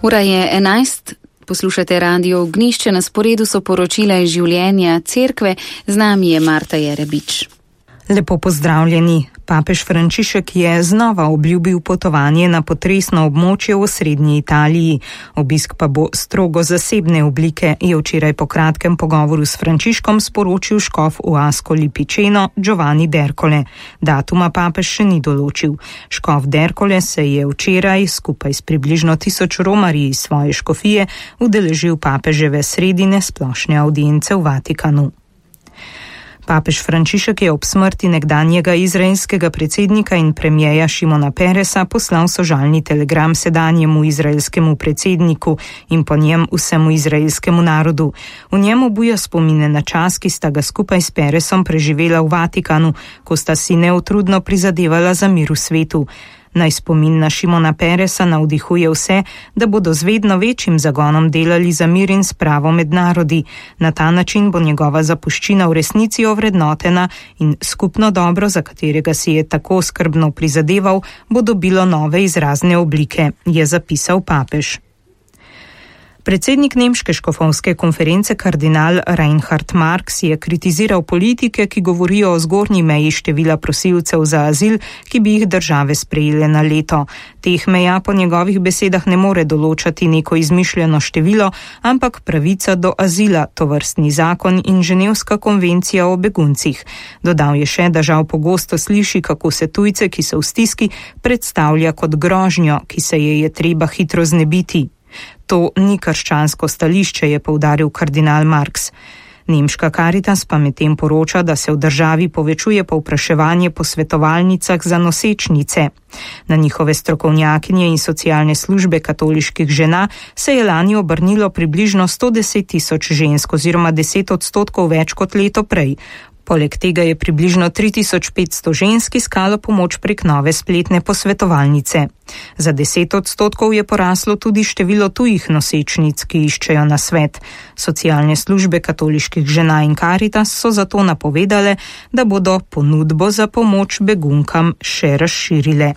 Ura je 11, poslušate Radio Ognjišče, na sporedu so poročila iz življenja cerkve, z nami je Marta Jerebič. Lepo pozdravljeni. Papež Frančišek je znova obljubil potovanje na potresno območje v osrednji Italiji. Obisk pa bo strogo zasebne oblike, je včeraj po kratkem pogovoru s Frančiškom sporočil škof v Ascoli Piceno Giovanni D'Ercole. Datuma papež še ni določil. Škof D'Ercole se je včeraj skupaj s približno 1000 romarji iz svoje škofije udeležil papeževe sredine splošne avdience v Vatikanu. Papež Frančišek je ob smrti nekdanjega izraelskega predsednika in premierja Šimona Peresa poslal sožalni telegram sedanjemu izraelskemu predsedniku in po njem vsemu izraelskemu narodu. V njem obuja spomine na čas, ki sta ga skupaj s Peresom preživela v Vatikanu, ko sta si neutrudno prizadevala za mir v svetu. Naj spomin na Šimona Peresa navdihuje vse, da bodo z vedno večjim zagonom delali za mir in spravo med narodi. Na ta način bo njegova zapuščina v resnici ovrednotena in skupno dobro, za katerega si je tako skrbno prizadeval, bo dobilo nove izrazne oblike, je zapisal papež. Predsednik nemške škofovske konference kardinal Reinhard Marx je kritiziral politike, ki govorijo o zgornji meji števila prosilcev za azil, ki bi jih države sprejele na leto. Teh meja po njegovih besedah ne more določati neko izmišljeno število, ampak pravica do azila, tovrstni zakon in Ženevska konvencija o beguncih. Dodal je še, da žal pogosto sliši, kako se tujce, ki so v stiski, predstavlja kot grožnjo, ki se je treba hitro znebiti. To ni krščansko stališče, je poudaril kardinal Marx. Nemška Caritas pa medtem poroča, da se v državi povečuje povpraševanje po svetovalnicah za nosečnice. Na njihove strokovnjakinje in socialne službe katoliških žena se je lani obrnilo približno 110 000 žensk oziroma 10% več kot leto prej. Poleg tega je približno 3500 žensk iskalo pomoč prek nove spletne posvetovalnice. Za 10% je poraslo tudi število tujih nosečnic, ki iščejo nasvet. Socialne službe katoliških žena in Caritas so zato napovedale, da bodo ponudbo za pomoč begunkam še razširile.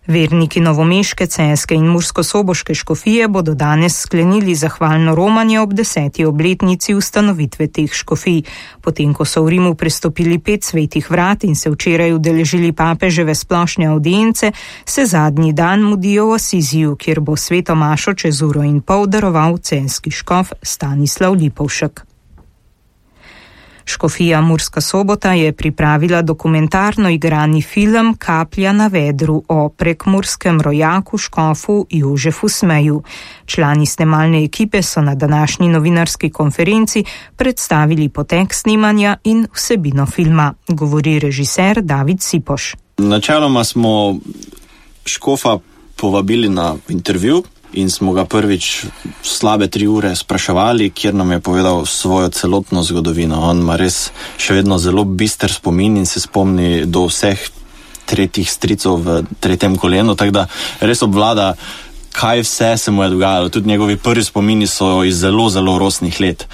Verniki novomeške, celjske in murskosoboške škofije bodo danes sklenili zahvalno romanje ob 10. obletnici ustanovitve teh škofij. Potem, ko so v Rimu prestopili 5 svetih vrat in se včeraj udeležili papeževe splošne avdience, se zadnji dan mudijo v Asiziju, kjer bo sveto mašo čez uro in pol daroval celjski škof Stanislav Lipovšek. Škofija Murska Sobota je pripravila dokumentarno igrani film Kaplja na vedru o prekmurskem rojaku škofu Jožefu Smeju. Člani snemalne ekipe so na današnji novinarski konferenci predstavili potek snemanja in vsebino filma, govori režiser David Sipoš. Načeloma smo škofa povabili na intervju in smo ga prvič slabe 3 ure spraševali, kjer nam je povedal svojo celotno zgodovino. On ima res še vedno zelo bister spomin in se spomni do vseh tretjih stricov v 3. kolenu, tako da res obvlada, kaj vse se mu je dogajalo. Tudi njegovi prvi spomini so iz zelo, zelo rosnih let.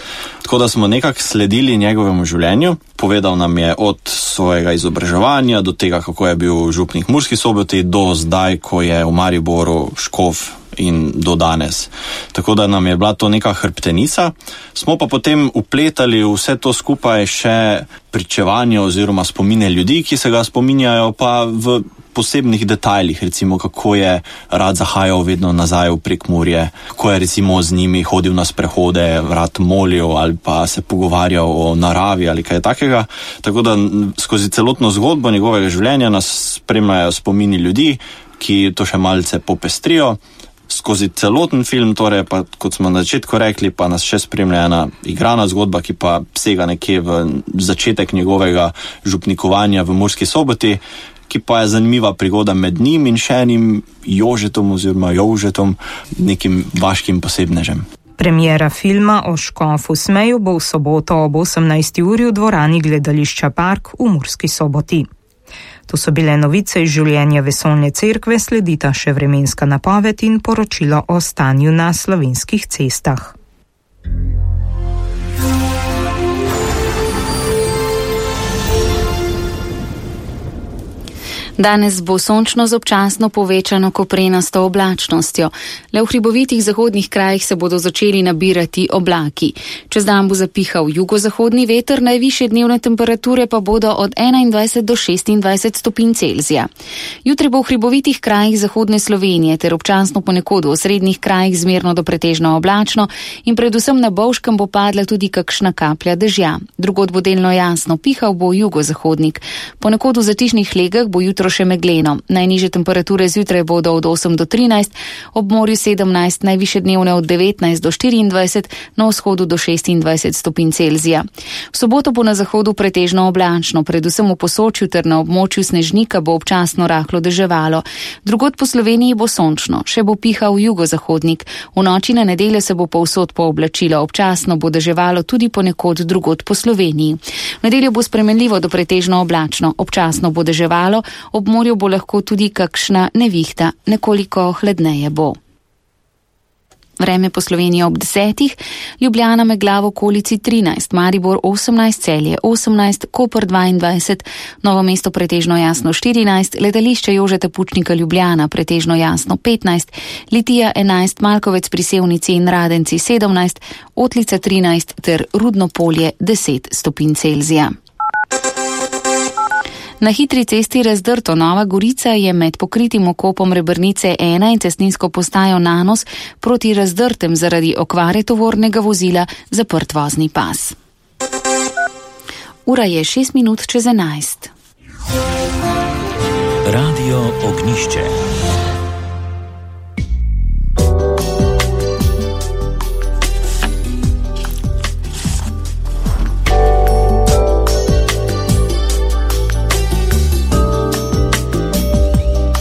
Tako da smo nekako sledili njegovemu življenju. Povedal nam je od svojega izobraževanja do tega, kako je bil župnik Murski Soboti, do zdaj, ko je v Mariboru škof in do danes. Tako da nam je bila to neka hrbtenica. Smo pa potem upletali vse to skupaj še pričevanje oziroma spomine ljudi, ki se ga spominjajo pa v posebnih detajlih, recimo kako je rad zahajal vedno nazaj v Prekmurje, kako je recimo z njimi hodil na sprehode, rad molil ali pa se pogovarjal o naravi ali kaj takega. Tako da skozi celotno zgodbo njegovega življenja nas spremljajo spomini ljudi, ki to še malce popestrijo. Skozi celoten film, torej pa, kot smo na začetku rekli, pa nas še spremlja ena igrana zgodba, ki pa sega nekje v začetek njegovega župnikovanja v Murski Soboti, ki pa je zanimiva prigoda med njim in še enim Jožetom oziroma Jožetom, nekim vaškim posebnežem. Premiera filma o škofu Smeju bo v soboto ob 18. uri v dvorani gledališča Park v Murski Soboti. To so bile novice iz življenja vesoljne cerkve, sledita še vremenska napoved in poročilo o stanju na slovenskih cestah. Danes bo sončno z občasno povečano koprenasto oblačnostjo. Le v hribovitih zahodnih krajih se bodo začeli nabirati oblaki. Čez dan bo zapihal jugozahodni veter, najvišje dnevne temperature pa bodo od 21 do 26 stopinj Celzija. Jutri bo v hribovitih krajih zahodne Slovenije ter občasno ponekod v osrednjih krajih zmerno do pretežno oblačno in predvsem na Bovškem bo padla tudi kakšna kaplja dežja. Drugod bo delno jasno, pihal bo jugozahodnik. Ponekod v zatišnih legah bo jutro še megleno. Najnižje temperature zjutraj bodo od 8 do 13, ob morju 17, najviše dnevne od 19 do 24, na vzhodu do 26 stopinj Celzija. V soboto bo na zahodu pretežno oblačno, predvsem v Posočju ter na območju Snežnika bo občasno rahlo deževalo. Drugod po Sloveniji bo sončno, še bo pihal jugozahodnik. V noči na nedeljo se bo povsod pooblačilo, občasno bo deževalo tudi ponekod drugod po Sloveniji. V nedeljo bo spremenljivo do pretežno oblačno, občasno bo deževalo, ob morju bo lahko tudi kakšna nevihta, nekoliko hladneje bo. Vreme po Sloveniji ob 10, Ljubljana megla v okolici 13, Maribor 18, Celje 18, Koper 22, Novo mesto pretežno jasno 14, letališče Jožeta Pučnika Ljubljana pretežno jasno 15, Litija 11, Malkovec pri Sevnici in Radenci 17, Otlica 13 ter Rudno polje 10 stopinj Celzija. Na hitri cesti Razdrto Nova Gorica je med pokritim okopom Rebrnice 1 in cestninsko postajo Nanos proti Razdrtem zaradi okvare tovornega vozila zaprt vozni pas. Ura je 6 minut čez 11. Radio Ognišče.